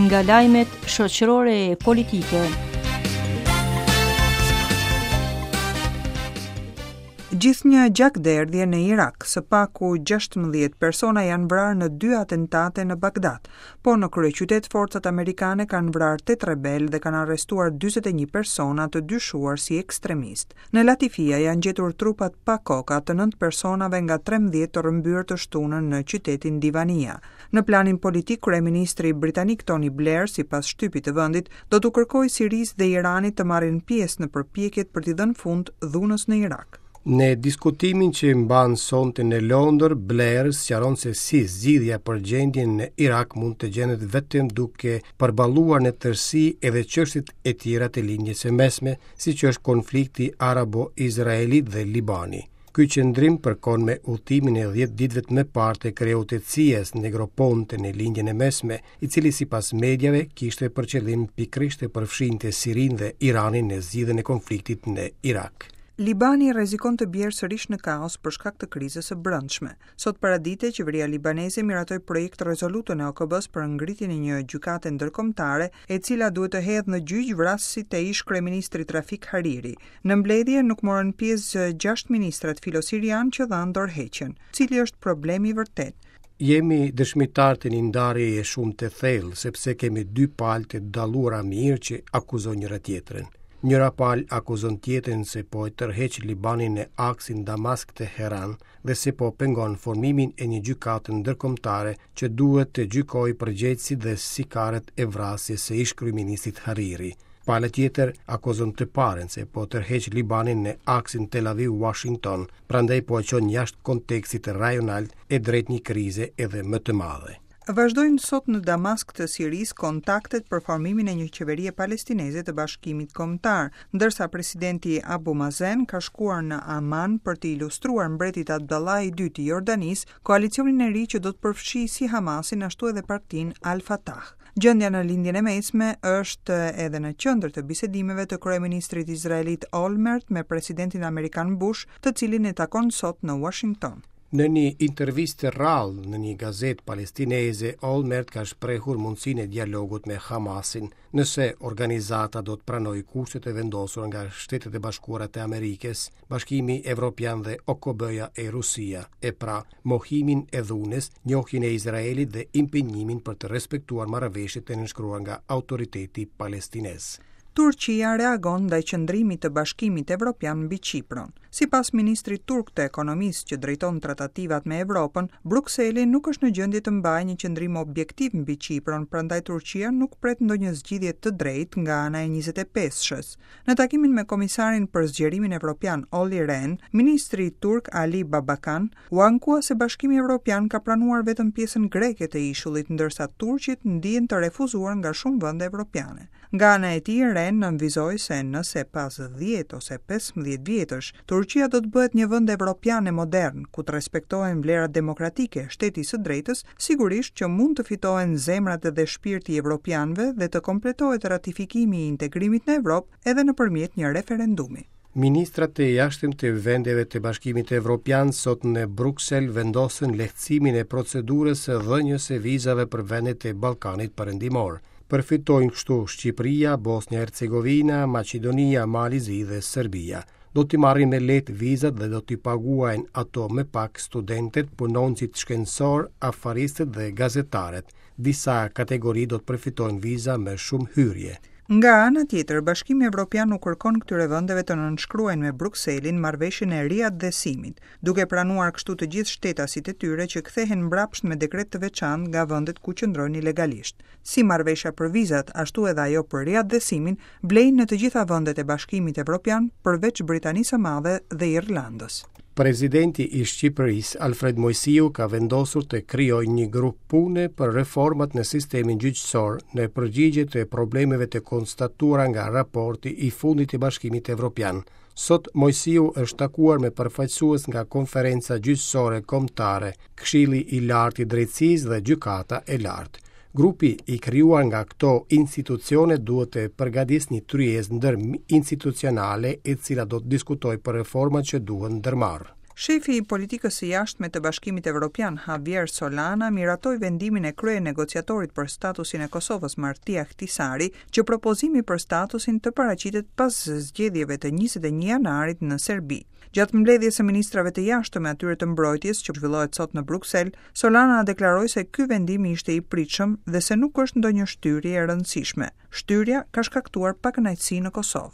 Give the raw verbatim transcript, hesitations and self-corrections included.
Nga lajmet shoqërore e politike. Gjithnjë gjakderdhje në Irak, së paku gjashtëmbëdhjetë persona janë vrarë në dy atentate në Bagdad, po në kryeqytet forcat amerikane kanë vrarë tetë rebel dhe kanë arrestuar dyzet e një persona të dyshuar si ekstremistë. Në Latifia janë gjetur trupat pa koka të nëntë personave nga trembëdhjetë të rrëmbyer të shtunën në qytetin Divania. Në planin politik, kryeministri britanik Tony Blair, sipas shtypit të vendit, do t'u kërkojë Sirisë dhe Iranit të marrin pjesë në përpjekjet për t'i dhënë fund dhunës në Irak. Në diskutimin që mban sonte në Londër, Blair sqaron se si zgjidhja për gjendjen në Irak mund të gjendet vetëm duke përballuar në tërësi edhe çështjet e tjera të lindjes së mesme, siç është konflikti arabo-izraelit dhe Libani. Ky qëndrim përkon me udhëtimin e dhjetë ditëve të më parë të kreut të C I A-s Negroponte në lindjen e mesme, i cili sipas mediave kishte për qëllim pikërisht të përfshinte Sirinë dhe Iranin në zgjidhjen e konfliktit në Irak. Libani rrezikon të bjerë sërish në kaos për shkak të krizës së brendshme. Sot paradite, qeveria libaneze miratoi projekt rezolutën e O K B-s për ngritjen e një gjykate ndërkombëtare, e cila duhet të hedhë në gjyq vrasësit e ish kryeministrit Rafik Hariri. Në mbledhje nuk morën pjesë gjashtë ministrat filosirian që dhanë dorëheqjen. Cili është problemi i vërtet? Jemi dëshmitar të një ndarjeje shumë të thellë, sepse kemi dy palë të dalluara mirë që akuzojnë njëra tjetrën. Njëra palë akuzon tjetrën se po e tërheq Libanin në aksin Damask-Teheran dhe se po pengon formimin e një gjykate ndërkombëtare që duhet të gjykojë përgjegjësit dhe sikarët e vrasjes së ish kryeministrit Hariri. Pala tjetër akuzon të parën se po tërheq Libanin në aksin Tel Aviv-Washington, prandaj po e çon jashtë kontekstit rajonal e drejt një krize edhe më të madhe. Vazhdojnë sot në Damask të Sirisë kontaktet për formimin e një qeverie palestineze të Bashkimit Kombëtar, ndërsa presidenti Abu Mazen ka shkuar në Aman për të ilustruar mbretit Abdullah i dytë i Jordanisë koalicionin e ri që do të përfshijë si Hamasin ashtu edhe partinë Al-Fatah. Gjendja në lindjen e mesme është edhe në qendër të bisedimeve të kryeministrit izraelit Olmert me presidentin amerikan Bush, të cilin e takon sot në Washington. Në një intervistë të rrallë në një gazetë palestineze, Olmert ka shprehur mundësinë e dialogut me Hamasin, nëse organizata do të pranojë kushtet e vendosura nga Shtetet e Bashkuara të Amerikës, Bashkimi Evropian dhe O K B-ja e Rusia, e pra mohimin e dhunës, njohjen e Izraelit dhe impenjimin për të respektuar marrëveshjet e nënshkruara nga autoriteti palestinez. Turqia reagon ndaj qëndrimit të Bashkimit Evropian mbi Qipron. Sipas ministrit turk të ekonomisë që drejton tratativat me Evropën, Brukseli nuk është në gjendje të mbajë një qëndrim objektiv mbi Qipron, prandaj Turqia nuk pret ndonjë zgjidhje të drejtë nga ana e njëzet e pesëshës. Në takimin me komisarin për zgjerimin evropian Olli Rehn, ministri turk Ali Babacan u ankua se Bashkimi Evropian ka pranuar vetëm pjesën greke të ishullit, ndërsa turqit ndihen të refuzuar nga shumë vende evropiane. Nga ana e tij, Rehn nënvizoi se nëse pas dhjetë ose pesëmbëdhjetë vjetësh Turqia do të bëhet një vend evropian e modern, ku të respektohen vlerat demokratike, shteti i së drejtës, sigurisht që mund të fitohen zemrat dhe shpirti i evropianëve dhe të kompletohet ratifikimi i integrimit në Evropë edhe nëpërmjet një referendumi. Ministrat e jashtëm të vendeve të Bashkimit Evropian sot në Bruksel vendosën lehtësimin e procedurës së dhënies së vizave për vendet e Ballkanit Perëndimor. Përfitojnë kështu Shqipëria, Bosnja e Hercegovina, Maqedonia, Mali i Zi dhe Serbia. Do t'i marrin me lehtë vizat dhe do t'i paguajnë ato më pak studentët, punonësit shkencor, afaristët dhe gazetarët. Disa kategori do të përfitojnë viza me shumë hyrje. Nga ana tjetër, Bashkimi Evropian u kërkon këtyre vendeve të nënshkruajnë me Brukselin marrëveshjen e riatdhesimit, duke pranuar kështu të gjithë shtetasit e tyre që kthehen mbrapsht me dekret të veçantë nga vendet ku qëndrojnë ilegalisht. Si marrëveshja për vizat, ashtu edhe ajo për riatdhesimin, vlejnë në të gjitha vendet e Bashkimit Evropian, përveç Britanisë së Madhe dhe Irlandës. Presidenti i Shqipërisë, Alfred Moisiu, ka vendosur të krijojë një grup pune për reformat në sistemin gjyqësor në përgjigje të problemeve të konstatuara nga raporti i fundit i Bashkimit Evropian. Sot Moisiu është takuar me përfaqësues nga Konferenca Gjyqësore Kombëtare, Këshilli i Lartë i Drejtësisë dhe Gjykata e Lartë. Grupi i krijuar nga këto institucione duhet të përgatisë një tryezë ndërinstitucionale e cila do të diskutojë për reformat që duhen ndërmarrë. Shefi i politikës së jashtme të Bashkimit Evropian, Javier Solana, miratoi vendimin e krye negociatorit për statusin e Kosovës, Martti Ahtisaari, që propozimi për statusin të paraqitet pas zgjedhjeve të njëzet e një janarit në Serbi. Gjatë mbledhjes së ministrave të jashtëm e atyre të mbrojtjes që zhvillohet sot në Bruksel, Solana deklaroi se ky vendim ishte i pritshëm dhe se nuk është ndonjë shtyrje e rëndësishme. Shtyrja ka shkaktuar pakënaqësi në Kosovë.